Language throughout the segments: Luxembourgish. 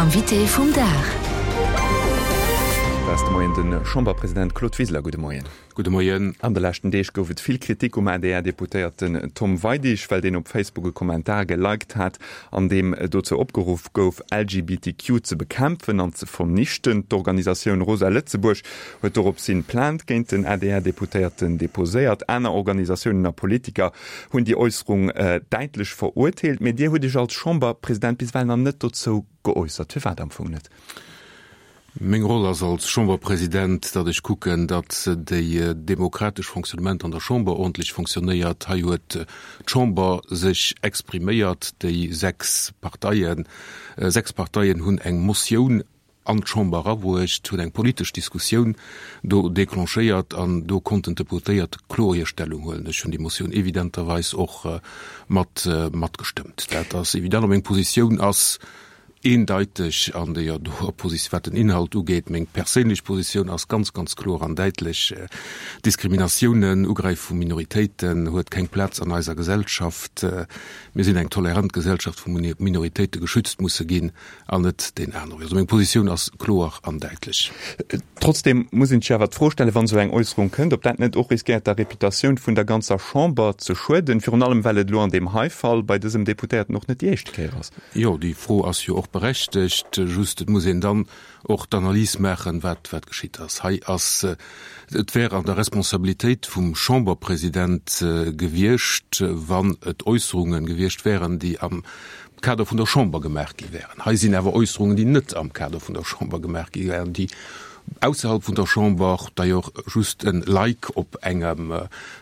Invité vum Dag. Dat ass de Moien de Chamberpresident Claude Wiseler. Gudde Moien. Gudde Moien. An de leschten Deeg gouf et vill Kritik um ADR-Deputéierten Tom Weidig, well deen op Facebook e Kommentar geliked hat, an deem dozou opgeruff gouf, LGBTQ ze bekämpfen an ze vernichten. D'Organisatioun Rosa Lëtzebuerg huet doropshin Plainte géint den ADR-Deputéierten deposéiert. Aner Organisatiounen a Politiker hunn déi Äusserung däitlech verurteelt. Mee Dir hutt Iech als Chamberpresident bis ewell nach net dozou geäussert. Firwat am Fong net? Meng Roll ass als Chamberpresident, datt ech kucken, datt déi demokratesch Fonctionnement an der Chamber ordentlech fonctionnéiert. Hei huet d'Chamber sech expriméiert, déi 6 Parteien, 6 Parteien hunn eng Motioun an d'Chamber erabruecht, hunn eng politesch Diskussioun do déclenchéiert an do konnten d'Deputéiert kloer hir Stellung huelen. Ech hunn déi Motioun evidenterweis och mat matgestëmmt. Dat ass evident a meng Positioun ass eendeiteg an deeër doer Positioun, wat den Inhalt ugeet. Meng perséinlech Positioun ass ganz, ganz kloer an däitlech, Diskriminatiounen, Ugräife vu Minoritéiten huet keng Plaz an eiser Gesellschaft. Mir sinn eng tolerant Gesellschaft, wou Minoritéite geschützt musse ginn. An net deen anere Wee. Also meng Positioun ass kloer an däitlech. Trotzdem muss een sech awer d'Fro stellen, wann esou eng Äusserung kënnt, ob dat net och riskéiert der Reputatioun vun der ganzer Chamber ze schueden, virun allem well et elo an deem hei Fall bei dësem Deputéierten och net déi éischte Kéier ass. Jo, déi Fro ass jo och berechtegt. Just et muss een dann och d'Analys maachen, wat wat geschitt ass. Hei ass, et wär an der Responsabilitéit vum Chamberpresident gewiescht, wann et Äusserunge gewiescht wären, déi am Kader vun der Chamber gemaach gi wären. Hei sinn awer Äusserungen, déi net am Kader vun der Chamber gemaach gi wären, déi ausserhalb vun der Chamber, d'ailleurs just en Like op engem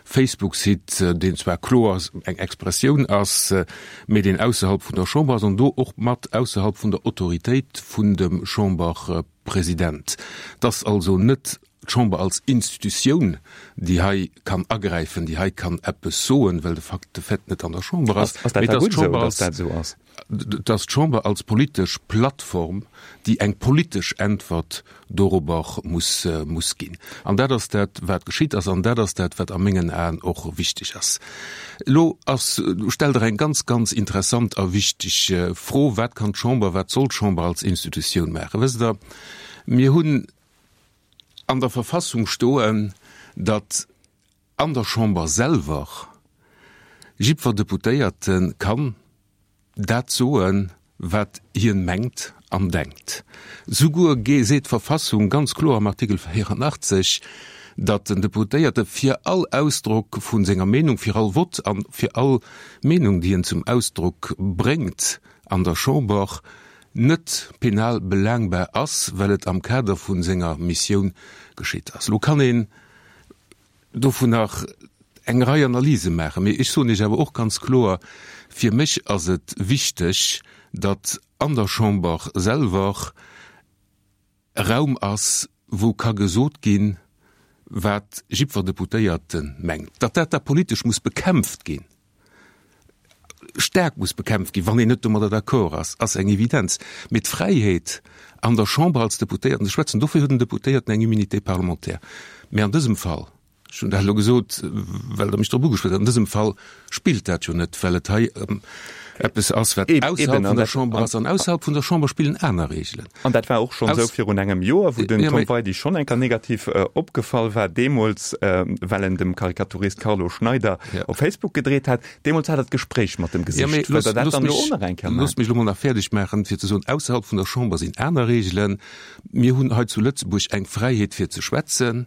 Facebook-Site, deen zwar kloer eng Expressioun ass, mee deen ausserhalb vun der Chamber ass an do och mat ausserhalb vun der Autoritéit vun dem Chamberpresident. Et ass also net d'Chamber als Institutioun, déi hei kann agräifen, déi hei kann eppes soen, well de Fakt de fait net an der Chamber ass, Ass dat mee da dass gutt esou, d'Chamber dass als, dat esou ass? dass d'Chamber als politesch Plattform, déi eng politesch Äntwert dorobber muss, muss ginn. An dat ass dat, wat geschitt ass, an dat ass dat, wat a mengen Aen och wichteg ass. Elo ass, stellt Der eng ganz, ganz interessant a wichteg Fro, Wat kann d'Chamber, wat soll d'Chamber als Institutioun maachen? Wësst Der, mir hunn an der Verfassung stoen, datt an der Chamber selwer jiddwer Deputéierte kann dat soen, wat hien mengt an denkt. Souguer seet d'Verfassung ganz kloer am Artikel 84, datt den Deputéierte fir all Ausdrock vu senger Meenung, fir all Vott an fir all Meenung, déi en zum Ausdrock bréngt an der Chamber, net penal belaangbar ass, well et am Kader vu senger Missioun geschitt ass. Elo kann een dovun nach eng Rei Analyse maachen, mee ech soen Iech awer och ganz kloer, Fir mech ass et wichteg, datt an der Chamber selwer e Raum ass, wou ka gesot ginn, wat jiddwer Deputéierte mengt. Datt dat da politesch muss bekämpft ginn, staark muss bekämpft ginn, wann een net domadder d'accord ass, ass eng Evidenz. Mee d'Fräiheet an der Chamber als Deputéierten ze schwätzen, dofir huet en Deputéierten eng Immunité parlementaire. Mee an dësem Fall, ech hunn dat elo gesot, well Der mech drop ugeschwat hutt, an dësem Fall spillt dat jo net, well et hei ëm eppes ass, wat ausserhalb vun der Chamber ass. An ausserhalb vun der Chamber spillen aner Regeln. An dat war och schonn esou virun engem Joer, wou den Tom Weidig schonn eng Kéier negativ opgefall war, deemools, well en dem Karikaturist Carlo Schneider op Facebook gedreet hat. Deemools hat Der d'Gespréich mat em gesicht. Wëllt Der dat dann elo och nach eng Kéier maachen? Loosst mech elo mol nach fäerdeg maachen, fir ze soen, ausserhalb vun der Chamber sinn aner Regeln. Mir hunn hei zu Lëtzebuerg eng Fräiheet fir ze schwätzen,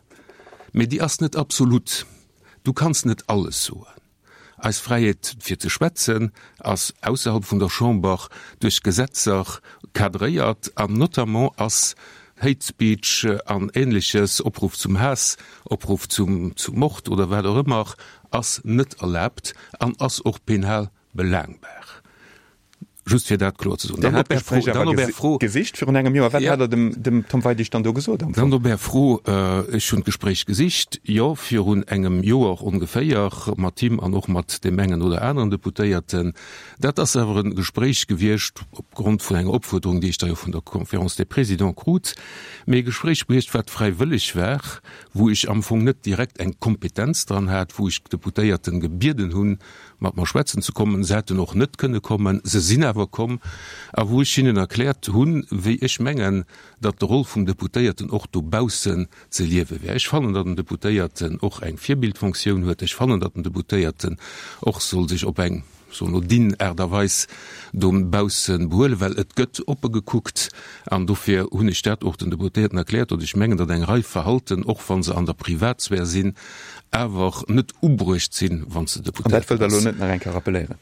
mee déi ass net absolut. Du kanns net alles soen. Eis Fräiheet fir ze schwätzen ass ausserhalb vun der Chamber duerch Gesetzer cadréiert an notamment ass Hate Speech an Ähnleches, Opruff zum Haass, Opruff zum Mord oder wat och ëmmer, ass net erlaabt an ass och penal belaangbar. Just fir dat kloer ze soen. Dir hat d'Gespréich awer gesicht virun engem Joer. Wat hat Der dem Tom Weidig dann do gesot am Fong? Dann op Är Fro, Ech hunn d'Gespréich gesicht, jo, virun engem Joer ongeféier, mat him an och mat deem engen oder aneren Deputéierten. Dat ass awer e Gespréich gewiescht opgrond vun enger Opfuerderung, déi ech da jo vun der Conférence des Présidents krut, mee e Gespréich gewiescht, wat fräiwëlleg war, wou ech am Fong net direkt eng Kompetenz dran hat, wou ech d'Deputéierten gebieden hunn, mat mer schwätzen ze kommen. Se hätten och net kënne kommen, se sinn awer komm, a wou ech hinnen erkläert hunn, wéi ech mengen, datt de Roll vum Deputéierten och dobaussen ze liewe wär. Ech fannen, datt en Deputéierten och eng Virbildfonktioun huet. Ech fannen, datt en Deputéierten och soll sech op eng, soen elo, dinn Aart a Weis dobausse behuelen, well et gëtt oppe gekuckt. An dofir hunn ech dat och den Deputéierten erkläert, datt ech mengen, datt eng Rei Verhalten, och wa se an der Privatsphär sinn, awer net ubruecht sinn, wann s de An dat wëllt Der elo net nach eng Kéier rappeléieren?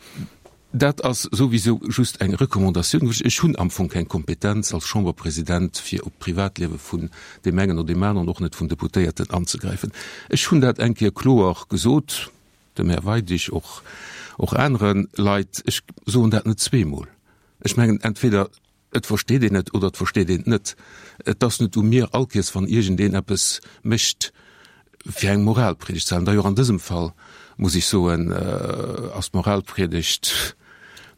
Dat ass souwisou just eng Recommandatioun gewiescht. Ech hunn am Fong keng Kompetenz als Chamberpresident, fir op d'Privatliewe vun deem engen oder deem aneren, och net vun Deputéierten, anzegräifen. Ech hunn dat eng Kéier kloer gesot, dem Här Weidig, och och anere Leit. Ech soen dat net zweemol. Ech mengen, entweder Et versteet een et oder et versteet een et net. Et ass net u mir, allkéiers wann iergendeen eppes mécht, fir eng Moralpriedegt ze halen. D'ailleurs an dësem Fall, muss ech soen, ass d'Moralpriedegt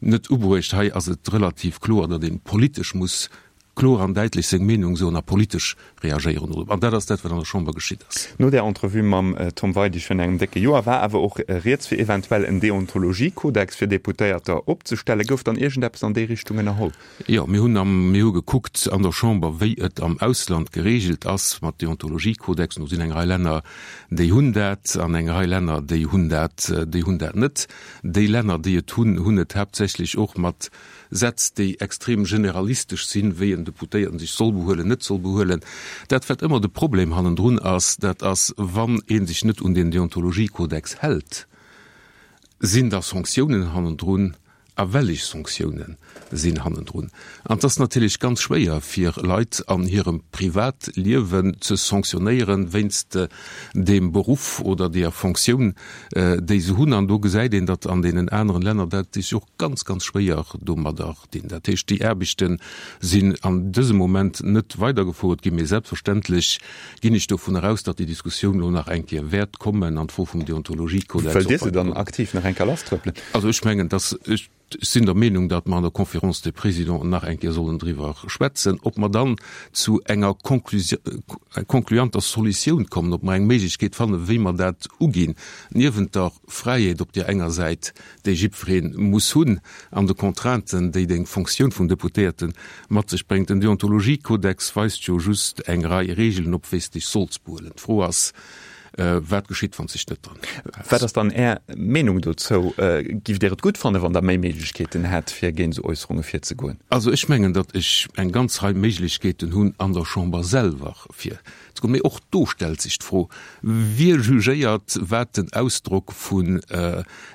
net ubruecht. Hei ass et relativ kloer, datt ee politesch muss kloer an däitlech seng Meenung soen a politesch reagéieren dorop. An dat ass dat, wat an der Chamber geschitt ass. No där Entrevue mam Tom Weidig virun engem décke Joer war awer och rieds, fir eventuell en Deontologiekodex fir Deputéierter opzestellen. Gouf dann iergendeppes an déi Richtung ënnerholl? Jo, mir hunn am, mir hu gekuckt an der Chamber, wéi et am Ausland geregelt ass mat Deontologiekodexen. Do sinn eng Rei Länner, déi hunn dat, an eng Rei Länner, déi hunn dat, déi hunn dat net. Déi Länner, déi et hunn, hunn et haaptsächlech och mat Sätz, déi extrem generalistesch sinn, wéi en Deputéierten sech soll behuelen, net soll behuelen. Dat, wat ëmmer de Problem hannendrun ass, dat ass, wann ee sech net un deen Deontologiekodex hält, sinn da Sanktiounen hannendrun a wellech Sanktiounen sinn hannendrun? An et ass natierlech ganz schwéier, fir Leit an hirem Privatliewen ze sanktionéieren wéinst deem Beruff oder deeër Fonctioun, déi se hunn. An do gesäit een, datt an deenen aneren Länner dat sech och ganz, ganz schwéier domadder dinn. Dat heescht, déi Aarbechte sinn an dësem Moment net weidergefouert ginn, mee selbstverständlech ginn ech dovun eraus, datt déi Diskussioun elo nach eng Kéier wäert kommen an d'Fro vum Deontologiekodex och. Wëllt Dir se dann aktiv nach eng Kéier lasstrëppelen? Also ech mengen, datt ech, Ech sinn der Meenung, datt mer an der Conférence des Présidents nach eng Kéier sollen driwwer schwätzen, ob mer dann zu enger concluanter Solutioun kommen, ob mer eng Méiglechkeet fannen, wéi mer dat uginn, niewent der Fräiheet op där enger Säit, déi jiddweree muss hunn, an de Contrainten, déi deng Fonctioun vum Deputéierte mat sech bréngt. Den Deontologiekodex weist jo just eng Rei Regeln op, wéi s dech solls behuelen. D'Fro ass, Wat geschitt, wann s dech net dran häls? Wat ass dann Är Meenung dozou? Giff Dir et gutt fannen, wann Der méi Méiglechkeeten hätt, fir géint esou Äusserunge virzegoen? Also ech mengen, datt ech eng ganz Rei Méiglechkeeten hunn an der Chamber selwer virzegoen. Mee och do stellt sech d'Fro, Wie jugéiert, wat den Ausdrock vun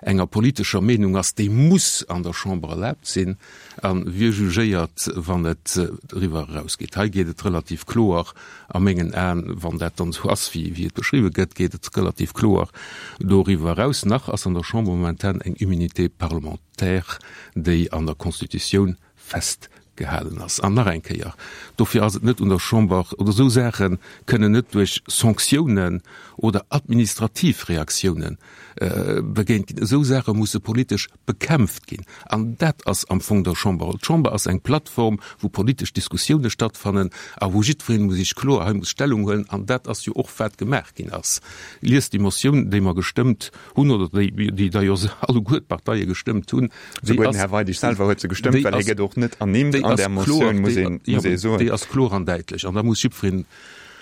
enger politescher Meenung ass, déi muss an der Chamber erlaabt sinn, a wie jugéiert, wann et eriwwer erausgeet? Hei geet et relativ kloer A mengen Aen, wann dat dann esou ass, wéi et beschriwwe gëtt, geet et relativ kloer doriwwer eraus. Nach ass an der Chamber momentan eng Immunité parlementaire, déi an der Constitutioun festgehalen ass. An nach eng Kéier, dofir ass et net un der Chamber, oder esou Saache kënnen net duerch Sanktiounen oder administrativ Reaktiounen begéint ginn. Esou Saache musse politesch bekämpft ginn. An dat ass am Fong der Chamber. D'Chamber ass eng Plattform, wou politesch Diskussioune stattfannen a wou jiddweree muss sech kloer hei muss Stellung huelen. An dat ass jo och, wat gemaach ginn ass. Liest déi Motioun, déi mer gestëmmt hunn, oder déi, déi da jo alleguer d'Parteie gestëmmt hunn. Souguer den Här Weidig selwer huet se gestëmmt, well hie gëtt och net ernimmt an där Motioun, muss ee, muss ee soen. Déi ass kloer an däitlech. An da muss jiddwereen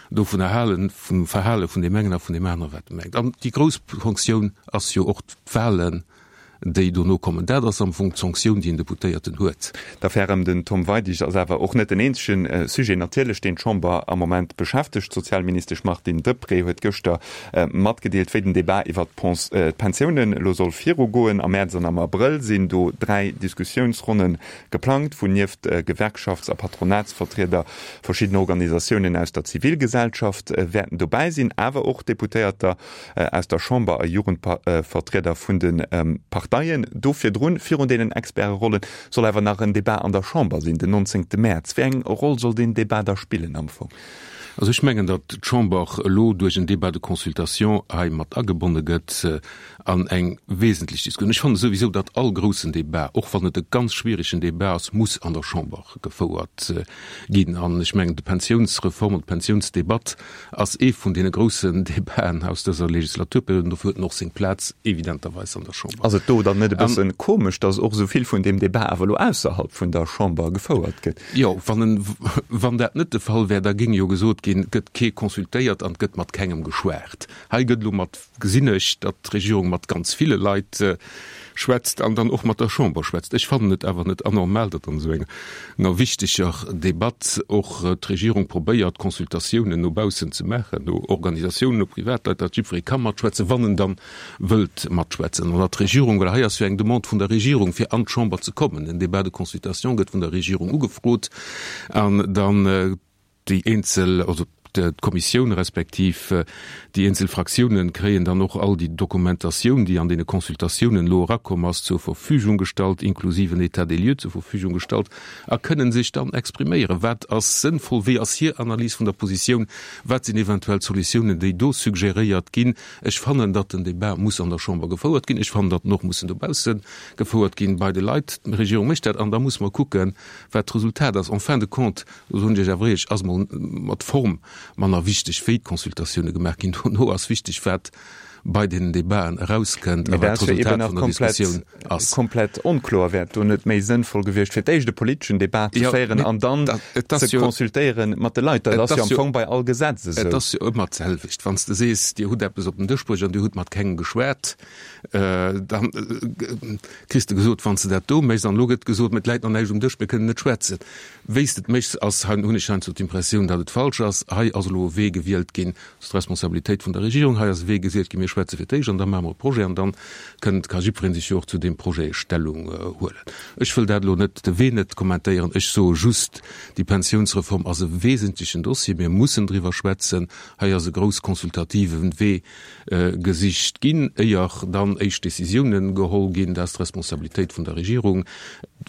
dovunner halen, vum Verhale vun deem engen a vun deem aneren, wat e mengt. An déi grouss Fonctioun ass jo och d'Wahlen, déi dono kommen. Dat ass am Fong d'Sanktioun, déi en Deputéierten huet. D'Affär ëm den Tom Weidig ass awer och net den eenzege Sujet natierlech, deen d'Chamber am Moment beschäftegt. D'Sozialministesch Martine Deprez huet gëschter matgedeelt, wéi den Debat iwwer d'Pensiounen elo soll virugoen. Am Mäerz an am Abrëll sinn do 3 Diskussiounsronne geplangt, wou nieft Gewerkschafts a Patronatsvertrieder verschidden Organisatiounen aus der Zivilgesellschaft wäerten dobäi sinn, awer och Deputéierter aus der Chamber a Jugendvertrieder vun de Parteien. Do virdrun, virun deenen Experterollen, soll awer nach en Debat an der Chamber sinn, den 19 Mäerz. Wéi eng Roll soll deen Debat da spillen am Fong? Also ech mengen, datt d'Chamber elo duerch en Débat de consultation hei mat agebonne gëtt an eng wesentlech Diskussioun. Ech fanne souwisou, datt all groussen Débat, och wann et e ganz schwierigen Débat ass, muss an der Chamber gefouert ginn. An ech mengen, d'Pensiounsreform an d'Pensiounsdebatt ass ee vun deene groussen Debaten aus dëser Legislaturperiod an dofir huet en och seng Plaz evidenterweis an der Chamber. Ass et do dann net e bësse komesch, datt och esou vill vun deem Debat awer elo ausserhalb vun der Chamber gefouert gëtt? Jo, wann en, wann dat net de Fall wär, da géing jo gesot ginn, et gëtt kee consultéiert an et gëtt mat kengem geschwat. Hei gëtt elo mat, gesinn ech, datt d'Regierung mat ganz ville Leit schwätzt an dann och mat der Chamber schwätzt. Ech fannen et awer net anormal, datt an esou enger wichteger Debatt och d'Regierung probéiert, Consultatiounen no baussen ze maachen, no Organisatiounen, no Privatleit, datt jiddweree ka matschwätzen, wann en dann wëllt matschwätzen. An datt d'Regierung, well hei ass jo eng Demande vun der Regierung, fir an d'Chamber ze kommen, den Débat de consultation gëtt vun der Regierung ugefrot an dann déi eenzel, also d'Kommissioun respektiv déi eenzel Fraktiounen kréien dann och all déi Dokumentatioun, déi an deene Consultatiounen elo erakomm ass, zur Verfügung gestallt, inklusiv en État des lieux zur Verfügung gestallt a kënnen sech dann expriméieren, wat ass sënnvoll, wéi ass hir Analys vun der Positioun, wat sinn eventuell Solutiounen, déi do suggéréiert ginn. Ech fannen, datt den Débat muss an der Chamber gefouert ginn. Ech fannen, datt en och mussen dobausse gefouert ginn, bei de Leit. D'Regierung mécht dat an da muss mer kucken, wat d'Resultat ass. En fin de compte, do soen ech Iech awer éierlech, ass mol mat d'Form manner wichteg, wéi d'Consultatioune gemaach ginn. Dono ass wichteg, wat bei deenen Debaten erauskënnt a wat d'Resultat vun der Diskussioun ass. Komplett onkloer. Wär et do net méi sënnvoll gewiescht, fir d'éischt e politeschen Debat ze féieren an dann ze consultéiere mat de Leit? Dat ass jo am Fong bei all Gesetz esou. Et ass jo ëmmer d'selwecht. Wann s de sees, Dir hutt eppes op den Dësch bruecht an Dir hutt mat kengem geschwat, da kriss de gesot, wann s de dat do méchs, an elo gëtt gesot, mä et läit nach näischt um Dësch, mir kënnen net schwätzen. Wéi s de et méchs, ass, hunn ech heiansdo d'Impressioun, datt et falsch ass. Hei ass elo e Wee gewielt ginn, Dat ass d'Responsabilitéit vun der Regierung. Hei ass e Wee gesiet ginn, mir schwätze fir d'éischt an da maache mer e Projet an dann kënnt, ka jiddweree sech jo och zu deem Projet Stellung huelen. Ech wëll dat elo net, de Wee net kommentéieren. Ech soe just, déi Pensiounsreform ass e wesentlechen Dossier. Mir mussen driwwer schwätzen. Hei ass e grouss konsultative Wee gesicht ginn, éier dann éischt Décisiounen geholl ginn. Dat ass d'Responsabilitéit vun der Regierung.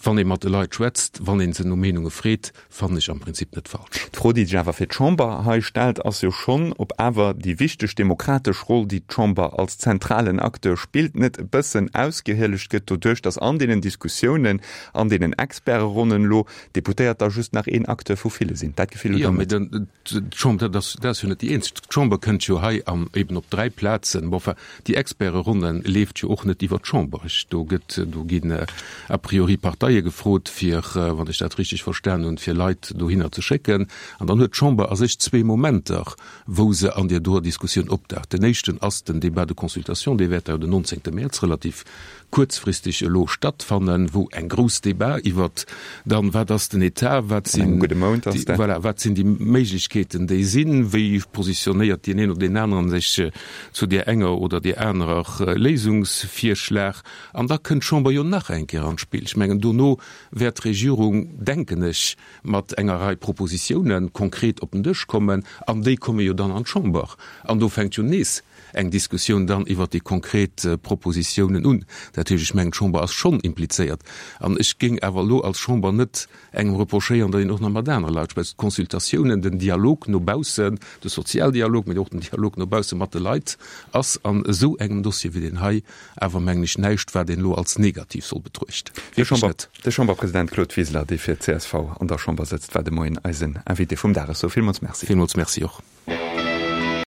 Wann ee mat de Leit schwätzt, wann ee se no Meenunge freet, fannen ech am Prinzip net falsch. D'Fro, déi sech awer fir d'Chamber hei stellt, ass jo schonn, ob awer déi wichteg demokratesch Roll, déi d'Chamber als zentralen Acteur spillt, net e bëssen ausgehielegt gëtt doduerch, datt an deenen Diskussiounen, an deenen Experteronnen elo d'Deputéiert da just nach een Acteur vu ville sinn. Dat Gefill hutt Der net? Jo, mee d'Chamber, dat ass, dat ass jo net déi eenzeg. D'Chamber kënnt jo hei an eben op dräi Plazen, bon, enfin, Déi Experteronne leeft jo och net iwwer d'Chamber. Ech, do gëtt, do ginn a priori Parteie gefrot, fir, wann ech dat richtig verstan hunn, fir Leit dohinner ze schécken. An dann huet d'Chamber a sech zwee Momenter, wou se an där doer Diskussioun opdaucht. Den éischten ass den Débat de consultation, dee wäert da jo den 19. Mäerz relativ kuerzfristeg elo stattfannen, wou eng grouss Debat iwwert dann, wat ass den Etat, wat sinn déi, voilà, wat sinn déi Méiglechkeeten, déi sinn, wéi positionéiert deen een oder deen aneren sech zu där enger oder där anerer Léisungsvirschlag. An da kënnt d'Chamber jo nach eng Kéier an d'Spill. Ech mengen, dono wäert d'Regierung, denken ech, mat enger Rei Propositiounen konkret op den Dësch kommen, an déi komme jo dann an d'Chamber. An do fänkt jo nees eng Diskussioun dann iwwert déi konkret Propositiounen un. Dat heescht, ech mengen, d'Chamber ass schonn implizéiert. An ech géing awer elo als Chamber net engem reprochéieren, datt een och nach mat anere Leit schwätzt. D'Consultatiounen, den Dialog no baussen, de Sozialdialog, mee och den Dialog no bausse mat de Leit ass an esou engem Dossier wéi deen hei awer, mengen ech, näischt, wat een elo als negativ soll betruechten. Wierklech net. De Chamberpresident Claude Wiseler, dee fir csv an der Chamber sëtzt, war de Moien eisen Invité vum Dag. Ech soe villmools Merci. Villmools Merci och.